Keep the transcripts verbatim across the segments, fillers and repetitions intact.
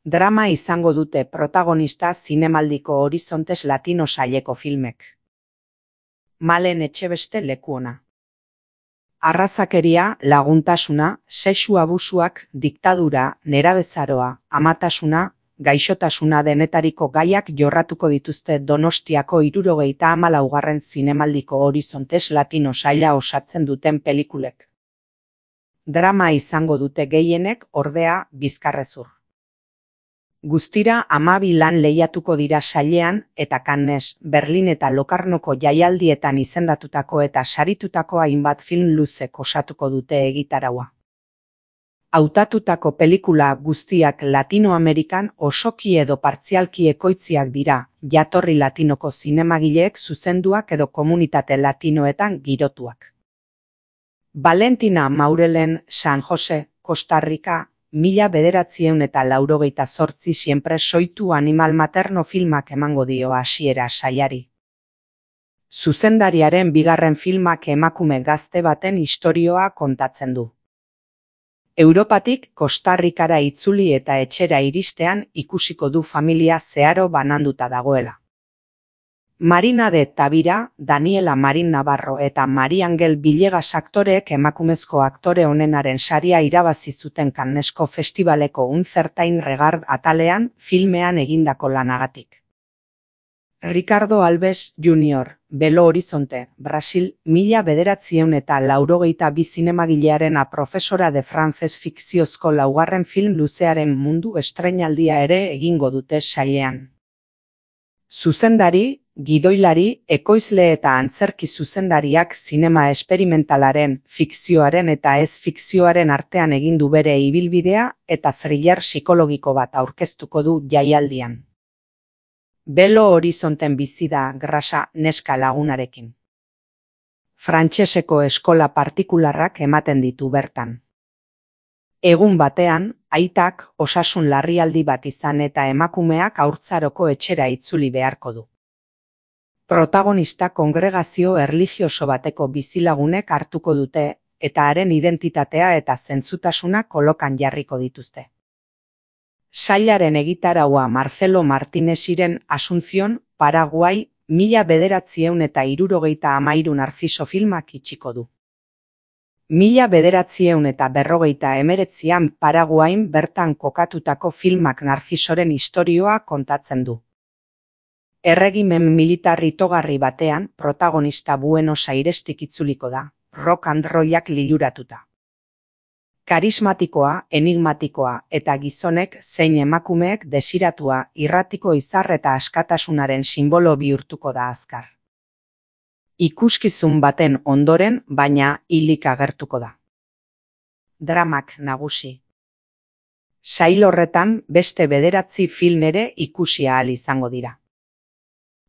Drama izango dute protagonista zinemaldiko Horizontes Latino saileko filmek. Malen Etxebeste lekuona. Arrazakeria, laguntasuna, sexu abusuak, diktadura, nerabezaroa, amatasuna, gaixotasuna denetariko gaiak jorratuko dituzte Donostiako hirurogeita hamalaugarren zinemaldiko Horizontes Latino saila osatzen duten pelikulek. Drama izango dute gehienek, ordea, bizkarrezur. Guztira hamabi lan lehiatuko dira sailean eta Cannes, Berlin eta Lokarnoko jaialdietan izendatutako eta saritutako hainbat film luzek osatuko dute egitaraua. Hautatutako pelikula guztiak Latinoamerikan osoki edo partzialki ekoitziak dira, jatorri latinoko zinemagileek zuzenduak edo komunitate latinoetan girotuak. Valentina Maurelen, San Jose, Costa Rica, mila bederatziehun eta laurogeita zortzi siempre soitu animal materno filmak emango dio hasiera sailari. Zuzendariaren bigarren filmak emakume gazte baten istorioa kontatzen du. Europatik Costa Ricara itzuli eta etxera iristean ikusiko du familia zeharo bananduta dagoela. Marina de Tavira, Daniela Marin Navarro eta Mari Angel Villegas aktoreek emakumezko aktore onenaren saria irabazi zuten Cannesko festivaleko Uncertain Regard atalean filmean egindako lanagatik. Ricardo Alves junior, Belo Horizonte, Brasil, mila bederatziehun eta laurogeita bi zinemagilearen profesora de frantzez fikziozko laugarren film luzearen mundu estreinaldia ere egingo dute sailean. Zuzendari, gidoilari, ekoizle eta antzerki zuzendariak zinema esperimentalaren, fikzioaren eta ez fikzioaren artean egin du bere ibilbidea eta thriller psikologiko bat aurkeztuko du jaialdian. Belo Horizonten bizi da grasa neska lagunarekin. Frantseseko eskola partikularrak ematen ditu bertan. Egun batean, aitak osasun larrialdi bat izan eta emakumeak haurtzaroko etxera itzuli beharko du. Protagonista kongregazio erlijioso bateko bizilagunek hartuko dute eta haren identitatea eta zentzutasuna kolokan jarriko dituzte. Sailaren egitaraua Marcelo Martinesiren Asunción, Paraguai, mila bederatziehun eta hirurogeita hamairu Narciso filmak itxiko du. Mila bederatziehun eta berrogeita hemeretzian Paraguain bertan kokatutako filmak Narcisoren istorioa kontatzen du. Erregimen militar itogarri batean protagonista Buenos Airestik itzuliko da, rock and rollak liluratuta. Karismatikoa, enigmatikoa eta gizonek zein emakumeek desiratua, irratiko izar eta askatasunaren sinbolo bihurtuko da azkar. Ikuskizun baten ondoren, baina hilik agertuko da. Dramak nagusi. Sail horretan beste bederatzi film ere ikusi ahal izango dira.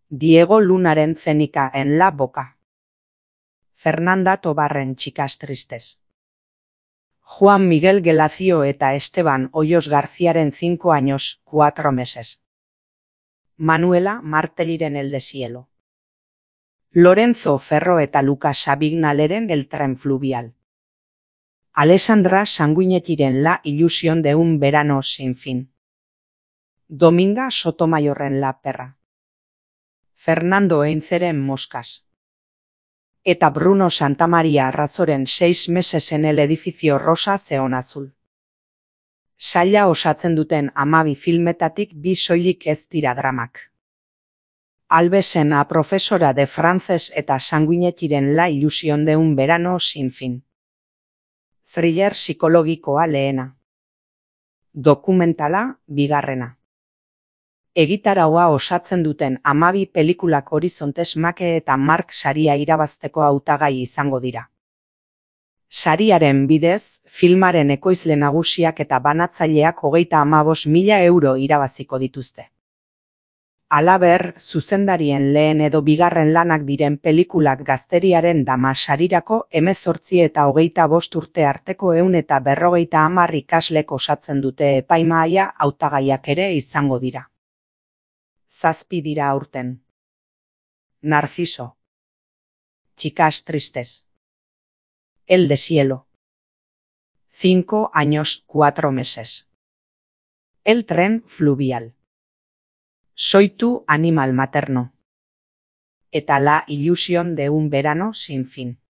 Diego Lunaren Zenika en la boca. Fernanda Tobarren Chicas tristes. Juan Miguel Gelacio eta Esteban Hoyos Garziaren cinco años, cuatro meses. Manuela Marteliren El deshielo. Lorenzo Ferro eta Lucas Abignaleren El tren fluvial. Alessandra Sanguinetiren La ilusión de un verano sin fin. Dominga Sotomayorren La perra. Fernando Einzeren Moscas. Eta Bruno Santamaria Arrazoren seis meses en el edificio rosa zeon azul. Saila osatzen duten hamabi filmetatik bi soilik ez dira dramak. Albesen a profesora de frantzez eta Sanguinetiren La ilusión de un verano sin fin. Thriller psikologikoa lehena. Dokumentala bigarrena. Egitaraua osatzen duten hamabi pelikulak Horizontes Make eta Mark saria irabazteko hautagai izango dira. Sariaren bidez, filmaren ekoizle nagusiak eta banatzaileak hogeita hamabost mila euro irabaziko dituzte. Halaber, zuzendarien lehen edo bigarren lanak diren pelikulak Gazteriaren Dama sarirako hemezortzi eta hogeita bost urte arteko ehun eta berrogeita hamar ikaslek osatzen dute epaimahaia hautagaiak ere izango dira. Zazpi dira aurten. Narciso. Chicas tristes. El deshielo. Cinco años, cuatro meses. El tren fluvial. Soy tu animal materno. Eta la ilusión de un verano sin fin.